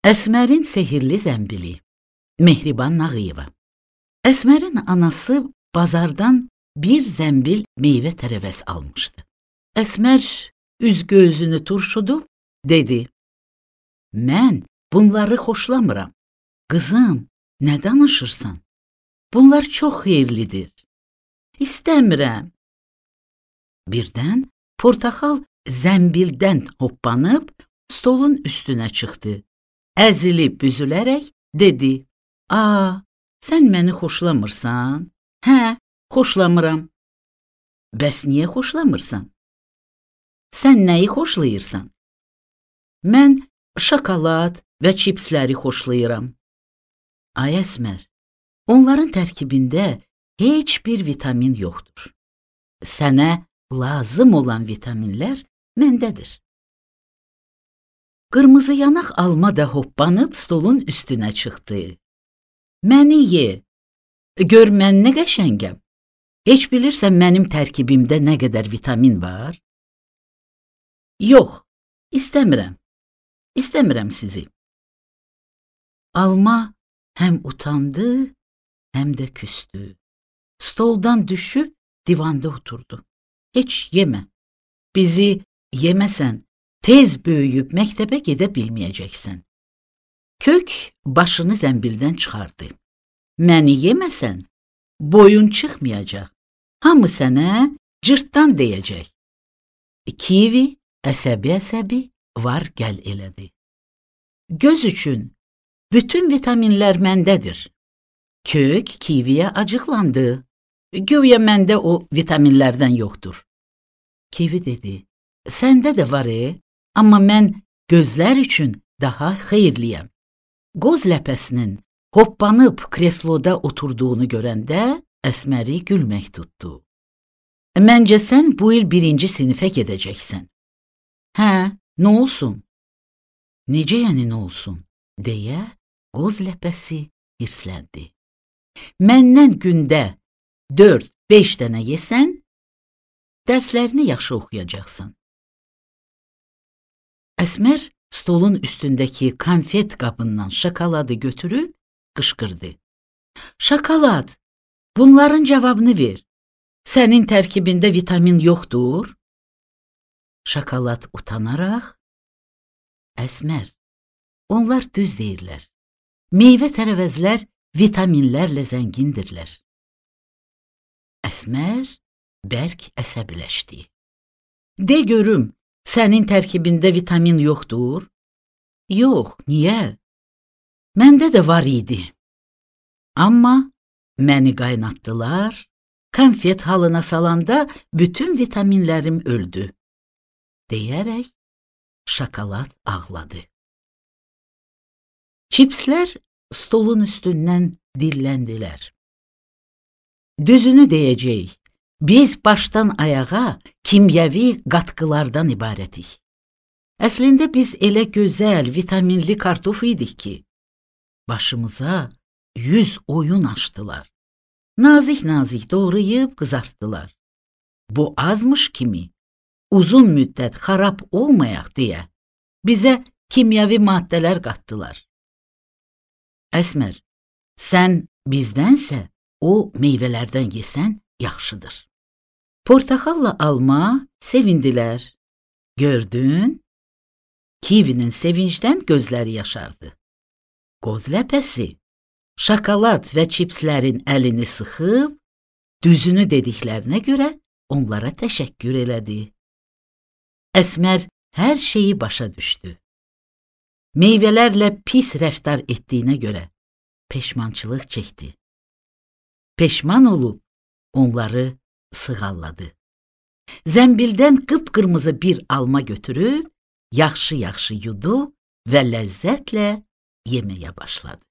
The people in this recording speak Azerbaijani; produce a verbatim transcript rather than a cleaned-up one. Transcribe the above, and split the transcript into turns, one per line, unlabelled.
Əsmərin sehirli zəmbili. Mehriban Nağıyeva. Əsmərin anası bazardan bir zəmbil meyvə tərəvəz almışdı. Əsmər üz gözünü turşudub, dedi: "Mən bunları xoşlamıram. Qızım, nə danışırsan? Bunlar çox xeyirlidir. İstəmirəm." Birdən portaxal zəmbildən hoppanıb stolun üstünə çıxdı. Əzilib büzülərək dedi: "Aa, sən məni xoşlamırsan?" "Hə, xoşlamıram." "Bəs niyə xoşlamırsan?" "Sən nəyi xoşlayırsan?" "Mən şokolad və çipsləri xoşlayıram." "Ay Əsmər, onların tərkibində heç bir vitamin yoxdur. Sənə lazım olan vitaminlər məndədir." Qırmızı yanaq alma da hoppanıb stolun üstünə çıxdı. "Məni ye, gör mən nə qəşəngəm. Heç bilirsən mənim tərkibimdə nə qədər vitamin var?" "Yox, istəmirəm, istəmirəm sizi." Alma həm utandı, həm də küstü. Stoldan düşüb divanda oturdu. "Heç yemə. Bizi yeməsən, tez böyüyüb məktəbə gedə bilməyəcəksən." Kök başını zəmbildən çıxardı. "Məni yeməsən, boyun çıxmayacaq. Hamı sənə cırtdan deyəcək." Kivi əsəbi-əsəbi var gəl elədi. "Göz üçün bütün vitaminlər məndədir." Kök kiviyə acıqlandı. "Güya məndə o vitaminlərdən yoxdur." Kivi dedi: "Səndə də var e, amma mən gözlər üçün daha xeyirliyəm." Qoz ləpəsinin hoppanıb kresloda oturduğunu görəndə Əsməri gülmək tutdu. "Məncə sən bu il birinci sinifə gedəcəksən." "Hə, nə olsun?" "Necə yəni nə olsun?" deyə qoz ləpəsi hirsləndi. "Məndən gündə dörd beş dənə yesən, dərslərini yaxşı oxuyacaqsan." Əsmər stolun üstündəki konfet qabından şokoladı götürüb qışqırdı. "Şokolad, bunların cavabını ver. Sənin tərkibində vitamin yoxdur?" Şokolad utanaraq: "Əsmər, onlar düz deyirlər. Meyvə tərəvəzlər vitaminlərlə zəngindirlər." Əsmər bərk əsəbiləşdi. "De görüm, sənin tərkibində vitamin yoxdur?" "Yox, niyə? Məndə də var idi. Amma məni qaynatdılar, konfet halına salanda bütün vitaminlərim öldü." deyərək şokolad ağladı. Çipslər stolun üstündən dilləndilər. "Düzünü deyəcəyik, biz başdan ayağa kimyəvi qatqılardan ibarətik. Əslində biz elə gözəl, vitaminli kartof idik ki, başımıza yüz oyun açdılar. Nazik-nazik doğrayıb qızartdılar. Bu azmış kimi, uzun müddət xarab olmayaq deyə bizə kimyəvi maddələr qatdılar. Əsmər, sən bizdənsə o meyvələrdən yesən yaxşıdır." Portaxalla alma sevindilər. Gördün? Kivinin sevincdən gözləri yaşardı. Qoz ləpəsi şokolad və çipslərin əlini sıxıb, düzünü dediklərinə görə onlara təşəkkür elədi. Əsmər hər şeyi başa düşdü. Meyvələrlə pis rəftar etdiyinə görə peşmançılıq çəkdi. Peşman olub onları sığalladı. Zəmbildən qıpqırmızı bir alma götürüb yaxşı-yaxşı yudu və ləzzətlə yeməyə başladı.